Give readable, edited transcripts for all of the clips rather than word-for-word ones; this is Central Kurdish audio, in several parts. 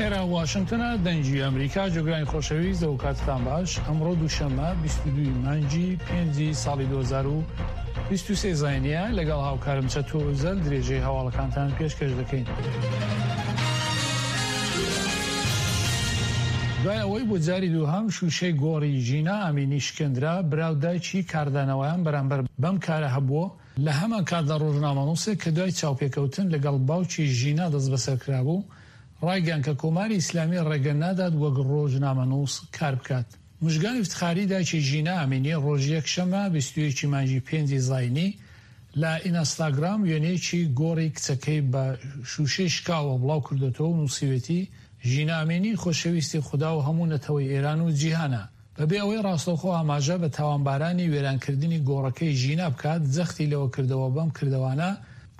ئێرە واشنتنە دەنگی ئەمریکا جۆگرانی خۆشەویست ئەو کاتتان باش ئەمڕۆ دووشەممە 22 مانگی پێنجی ساڵی 2023 زینە لەگەڵ هاوکارم چەتۆ ئۆزەل درێژەی هەواڵەکانتان پێشکەش دەکەین. دوای ئەوەی بۆ جاری دووهەم شووشەی گۆڕی ژینا ئەمینی شکێندرا، برا و دایکی کاردانەوەیان بەرامبەر بەم کارە هەبووە، لە هەمان کاتدا ڕۆژنامەنووسێک کە دوای چاوپێکەوتن لەگەڵ باوکی ژینا دەستبەسەر کرابوو، ڕایگەیاند کە کۆماری ئیسلامی ڕێگە نادات وەک ڕۆژنامەنووس کار بکات. موژگان ئیفتخاری دایکی ژینا ئەمینی ڕۆژی یەکشەممە 21 ی مانگی پێنجی زاینی لە ئینستاگرام وێنەیەکی گۆڕی کچەکەی بە شووشەی شکاوە بڵاو کردۆتەوە و نووسیوێتی، ژینا ئەمینی خۆشەویستی خودا و هەموو نەتەوەی ئێران و جیهانە. بەبێ ئەوەی ڕاستەوخۆ ئاماژە بە تاوانبارانی وێرانکردنی گۆڕەکەی ژینا بکات، جەختی لەوە کردەوە بەم کردەوانە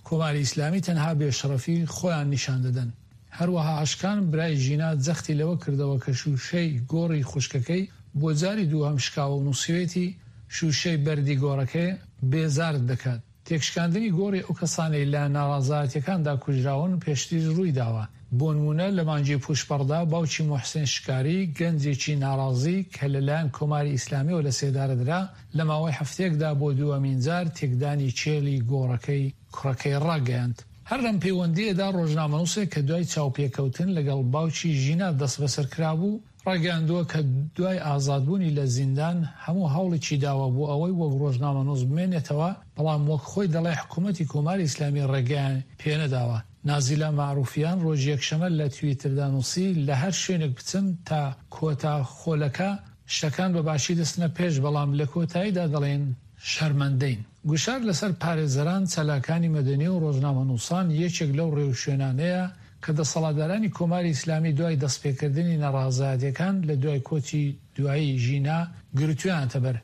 کۆماری ئیسلامی تەنها بێشەڕەفی خۆیان نیشان دەدەن. هەروەها ئەشکان برای ژینا جەختی لەوە کردەوە کە شووشەی گۆڕی خوشکەکەی بۆ جاری دووهەم شکاوە و نووسیوێتی، شووشەی بەردی گۆڕەکەی بێزارت دەکات. تێکشکاندنی گۆڕی ئەو کەسانەی لە ناڕازایەتیەکاندا کوژراون پێشتریش ڕوویداوە، بۆنموونە لە مانگی پووشپەڕدا باوکی موحسین شکاری، گەنجێکی ناڕازی کە لەلایەن کۆماری ئیسلامیەوە لەسێدارەدرا، لە ماوەی هەفتەیەکدا بۆ دووەمین جار تێکدانی کێلی گۆڕەکەی کوڕەکەی ڕاگەیاند. هەر لەم پەیوەندییەدا ڕۆژنامەنووسێک کە دوای چاوپێکەوتن لەگەڵ باوکی ژینا دەستبەسەرکرابوو، ڕایگەیاندووە کە دوای ئازادبوونی لە زیندان هەموو هەوڵێکی داوە بۆ ئەوەی وەک ڕۆژنامەنووس بمێنێتەوە، بەڵام وەک خۆی دەڵێ حکوومەتی کۆماری ئیسلامی ڕێگەیان پێنەداوە. نازیلا مەعرووفیان ڕۆژی یەکشەمە لە تویتردا نووسی، لە هەر شوێنێک بچم تا کۆتا خولەکە شتەکان بە باشی دەچنە پێش، بەڵام لە کۆتاییدا دەڵێن شەرمەندەین. گوشار لەسەر پارێزەران، چالاکانی مەدەنی و ڕۆژنامەنووسان یەکێک لەو ڕێوشوێنانەیە کە دەسەڵاتدارانی کۆماری ئیسلامی دوای دەستپێکردنی ناڕازایەتیەکان لە دوای کۆچی دوایی ژینا گرتوویانەتە بەر.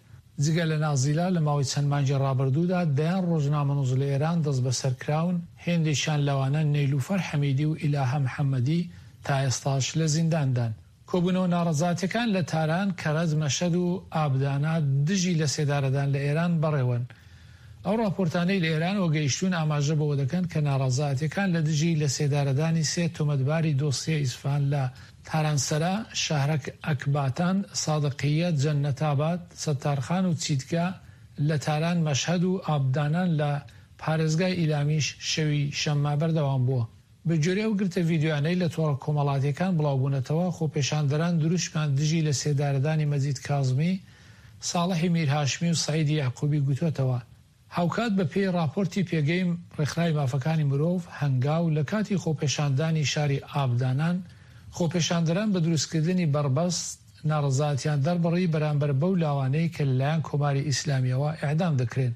جگە لە نازیلا لە ماوەی چەند مانگی ڕابردوودا دەیان ڕۆژنامەنووس لە ئێران دەستبەسەر کراون، هێندێکیان لەوانە نەیلوفەر حەمیدی و ئیلاهە محەممەدی تا ئێستاش لە زینداندان. کۆبوونەوە ناڕەزاتیەکان لە تاران، کەرەج، مەشهەد و ئابدانە دژی لەسێدارەدان لە ئێران بەڕێوەن. ئەو ڕاپۆرتانەی لە ئێرانەوە گەیشتوون ئاماژە بەوە دەکەن کە ناڕەزایەتیەکان لە دژی لەسێدارەدانی سێ تۆمەتباری دۆسیە ئیسفهان لە تارانسەرا، شەهرەک ئەکباتان، سادقیە، جەننەتاباد، سەتارخان و چیتگا لە تاران، مەشهەد و ئابدانان لە پارێزگای ئیلامیش شەوی شەممە بەردەوام بووە. بەگوێرەی ئەو گرتە ڤیدیۆیانەی لە تۆڕە کۆمەڵاتییەکان بڵاوبوونەتەوە، خۆپێشاندەران دروشمیان دژی لەسێدارەدانی مەجید کازمی، ساڵحی میرهاشمی و سەعیدی یەعقوبی گوتۆتەوە. هاوکات بەپێی ڕاپۆرتی پێگەی ڕێکخراوی مافەکانی مرۆڤ، هەنگاو، لە کاتی خۆپێشاندانی شاری ئابدانان، خۆپێشاندەران بە دروستکردنی بەڕبەست ناڕەزایەتیان دەربڕی بەرامبەر بەو لاوانەی کە لەلایەن کۆماری ئیسلامییەوە ئێعدام دەکرێن.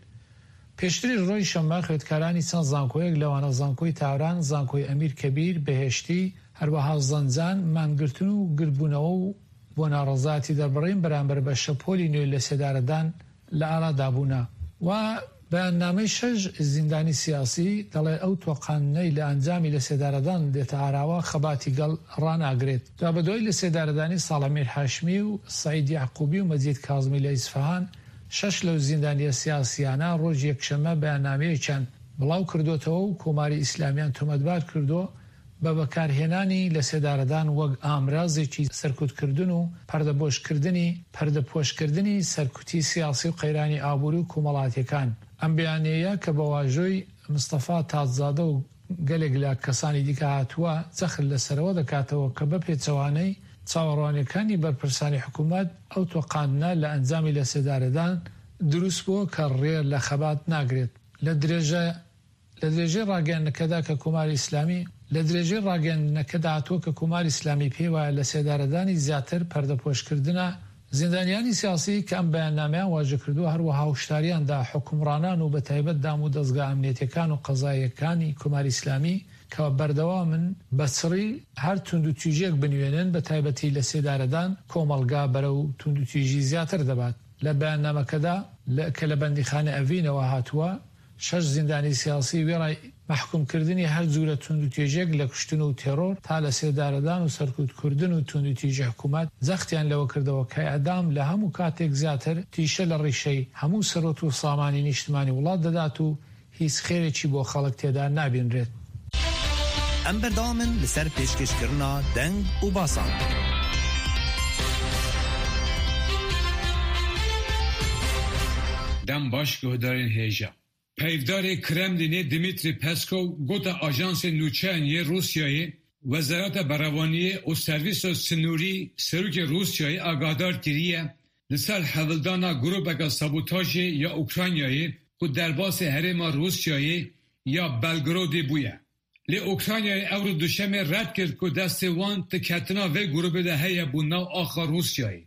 پێشتریش ڕۆژی شەممە خوێندکارانی چەند زانکۆیەک لەوانە زانکۆی تاران، زانکۆی ئەمیر کەبیر، بەهێشتی، هەروەها زەنجان، مانگرتن و گردبوونەوە و بۆ ناڕەزایەتی دەربڕین بەرامبەر بە شەپۆلی نوێی لەسێدارەدان لە ئارادا بوونە. و بەیاننامەی شەش زیندانی سیاسی دەڵێ ئەو تۆقاندنەی لە ئەنجامی لەسێدارەدان دێتە ئاراوە خەباتی گەڵ ڕاناگرێت. دوابەدوای لەسێدارەدانی ساڵح میرهاشمی و سەعید یەعقوبی و مەجید کازمی لە ئیسفەهان، شەش لەو زیندانییە سیاسییانە ڕۆژی یەکشەممە بەیاننامەیەکیان بڵاو کردۆتەوە و کۆماری ئیسلامیان تۆمەتبار کردووە بە بەکارهێنانی لەسێدارەدان وەک ئامرازێکی سەرکوتکردن و پەردەپۆشکردنی پەردەپۆشکردنی سەرکوتی سیاسی و قەیرانی ئابووری و کۆمەڵاتییەکان. ئەم بەیانیەیە کە بە واژۆی مستەفا تاجزادە و گەلێک لە کەسانی دیکە هاتووە، جەخت لەسەرەوە دەکاتەوە کە بە پێچەوانەی چاوەڕوانییەکانی بەرپرسانی حکوومەت، ئەو تۆقاندنە لە ئەنجامی لەسێدارەدان دروست بووە کە ڕێ لە خەبات ناگرێت. لە درێژە لە درێژەی ڕاگەیاندنەکەدا کە کۆماری ئیسلامی لە درێژەی ڕاگەیاندنەکەدا هاتووە کە کۆماری ئیسلامی پێی وایە لەسێدارەدانی زیاتر پەردەپۆشکردنە زیندانیانی سیاسی کە ئەم بەیاننامەیان واژە کردووە هەروەها هوشداریان دا حوکمڕانان و بەتایبەت دام و دەزگا ئەمنیەتیەکان و قەزاییەکانی کۆماری ئیسلامی کە بەردەوامن بە چڕی هەر توندوتیژیەک بنوێنن بەتایبەتی لەسێدارەدان کۆمەڵگا بەرەو توندوتیژی زیاتر دەبات. لە بەیاننامەکەدا کە لە بەندیخانە ئەڤینەوە هاتووە، شەش زیندانی سیاسی وێڕای مەحکوم کردنی هەر جورە توندوتیژیەک لە کوشتن و تێڕۆر تا لە سێدارەدان و سەرکوت کوردن و توندوتیژی حکومەت جەختیان لەوە کردەوە کە ئیعدام لە هەموو کاتێک زیاتر تیشە لە ڕیشەی هەموو سەروەت و سامانی نیشتمانی وڵات دەدات و هیچ خێرێکی بۆ خەڵک تێدا نابینرێت. Em berdewam in li ser pêşkêşkirina deng û basan. Dem baş guhdarên hêja. Peyvdarê Kremlînê Dmitriy Peskov gote ajansê nûçeyan yê Rûsyayê, Wezareta Berevaniyê û Servîsa Sinûrî Serokê Rûsyayê agahdar kiriye li ser hevildana grûpeke sabotajê ya Ukraynayê ku derbasê herêma Rûsyayê ya Belgorodê bûye. Lê Ukraynayê ewro Duşemê red kir ku destê wan di ketina vê grûpê de heye bo nav axa Rûsyayê.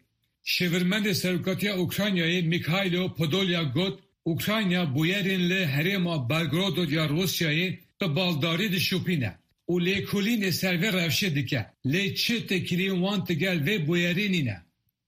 Şêwirmendê Serokatiya Ukraynayê Mikhailo Podolyak got, Ukrayna bûyerên li herêma Belgorodod ya Rûsyayê bi baldarî dişopîne û lêkolînê ser vê rewşê dike, lê çi têkiliyên wan digel vê bûyerê nîne.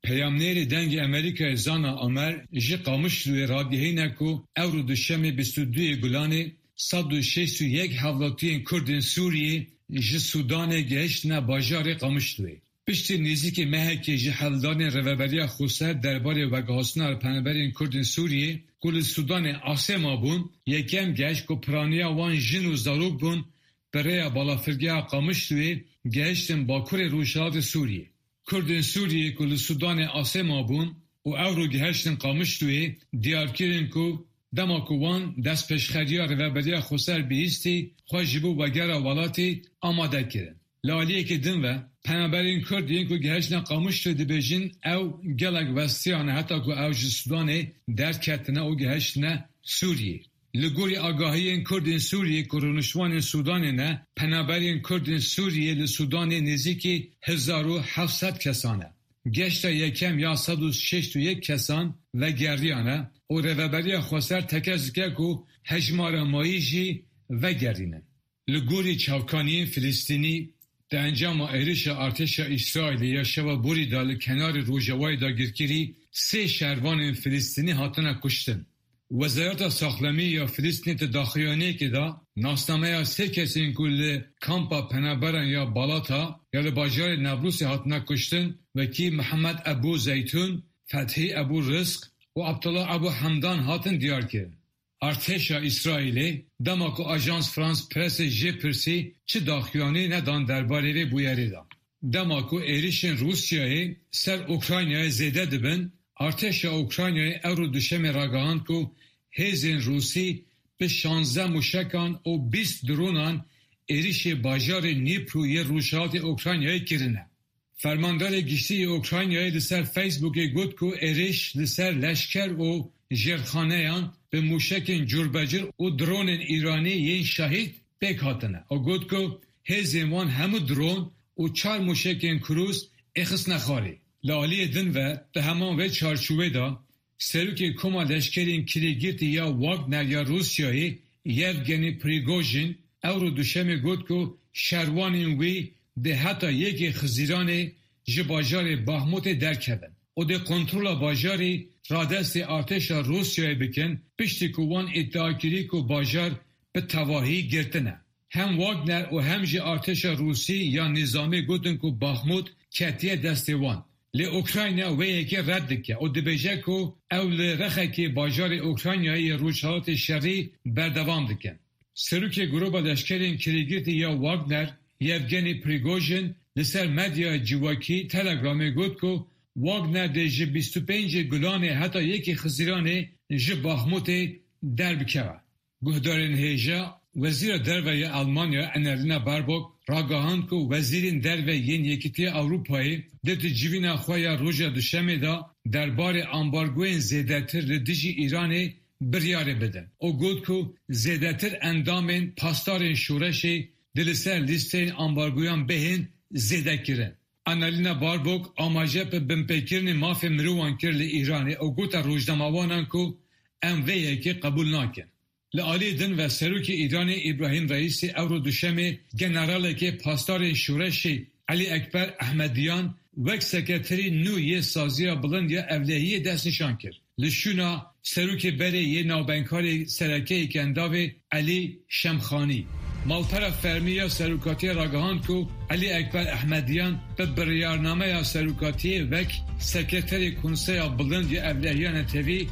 Peyamnêrê Dengê Amerîkayê Zana Omer ji Qamişloyê radigihîne ku ewro Duşemê 22 yê Gulanê 161 hevlatiyên Kurdên Sûriyê ji Sûdanê gihiştine bajarê Qamişloyê. Piştî nêzîkî mehekê ji hevldanên Rêveberiya Xweser derbarê veguhastina penaberên Kurdên Sûriyê ku li Sûdanê asê mabûn, yekem geşt ku piraniya wan jin û zarok bûn bi rêya balafirgeha Qamişloyê gihiştin bakurê rojhilatê Sûriyê. Kurdên Sûriyê ku li Sûdanê asê mabûn û ewro gihiştin Qamişloyê diyar kirin ku dema ku wan destpêşxeriya Rêveberiya Xweser bihîstî xwe ji bo vegera welatî amade kirin. Li aliyekî din ve penaberên Kurd yên ku gihiştine Qamişloyê dibêjin ew gelek westiyane heta ku ew ji Sûdanê derketine û gihiştine Sûriyê. Li gorî agahiyên Kurdên Sûriyê ku rûniştvanên Sûdanê ne, penaberên Kurdên Sûriyê li Sûdanê nêzîkî 1700 kesan e. Geşta yekem ya 161 kesan vegeriyane û Rêveberiya Xweser tekez dike ku hejmara mayî jî vegerînin. Li gorî çavkaniyên Filistînî di encama êrişa artêşa Îsraîlê ya şeva borî de li kenarê Rojavayê dagirkirî sê şervanên Filistînî hatine kuştin. Wezareta Saxlemî ya Filistînê di daxuyaniyekê de nasnameya sê kesên ku li kampa penaberan ya Balata ya li bajarê Nablusê hatine kuştin wekî Mihemed Ebû Zeytûn, Fethî Ebû Rizq û Abdullah Ebû Hemdan hatin diyarkirin. Artêşa Îsraîlê dema ku Ajans France Pressê jê pirsî çi daxuyanî nedan derbarê vê bûyerê de. Dema ku êrişên Rûsyayê ser Ukraynayê zêde dibin, artêşa Ukraynayê ewro Duşemê ragihand ku hêzên Rûsî bi 16 mûşekan û 20 dronan êrişê bajarê Dnipro yê rojhilatê Ukraynayê kirine. Fermandarê Giştî yê Ukraynayê li ser Facebookê got ku êriş li ser leşker û jêrxaneyan bi mûşekên curbecur û dronên Îranî yên Şahid pêk hatine û got ku hêzên wan hemû dron û çar mûşekên krûz êxistine xwarê. Li aliyê din ve di heman vê çarçovê de Serokê Koma Leşkerên Kirêgirtî ya Wagner ya Rûsyayê Yevgeny Prigojin ewro Duşemê got ku şervanên wî dê heta yekê Xizîranê ji bajarê Baxmutê derkevin û dê kontrola bajarî radestê artêşa Rûsyayê bikin piştî ku wan îdia kirî ku bajar bi tevahî girtine. Hem Wagner û hem jî artêşa Rûsî ya nîzamî gotin ku Baxmut ketiye destê wan. Lê Ukrayna wê yekê red dike û dibêje ku ew li rexekê bajarê Ukraynayê yê rojhilatê şerî berdewam dikin. Serokê Grûpa Leşkerên Kirêgirtî ya Wagner Yevgeny Prigojin li ser medyaya civakî Telegramê got ku Wagner dê ji 25 Gulanê heta yekê Xizîranê ji Baxmutê derbikeve. Guhdarên hêja, Wezîra Derve ya Elmanya Annalena Baerbock ragihand ku wezîrên derve yên Yekîtiya Ewropayê dê di civîna xwe ya roja Duşemê de derbarê ambargoyên zêdetir li dijî Îranê biryarê bidin û got ku zêdetir endamên pasdarên şoreşê dê li ser lîsteyên ambargoyan bihên zêdekirin. Annalena Baerbock amaje bi binpêkirinê mafê mirovan kir li Îranê û gote rojnamevanan ku em vê yekê qebûl nakin. Li aliyê din ve Serokê Îranê Îbrahîm Reîsî ewro Duşemê generalekê pasdarên şoreşê Elî Ekber Ehmediyan wek sekreterê nû yê Saziya Bilind ya Ewlehiyê destnîşan kir. Li şûna serokê berê yê navbenkarê sereke yê Kendavê Elî Şemxanî. Malpera fermî ya serokatiyê ragihand ku Elî Ekber Ehmediyan bi biryarnameya serokatiyê wek sekreterê Konseya Bilind ya Ewlehiya Netewî.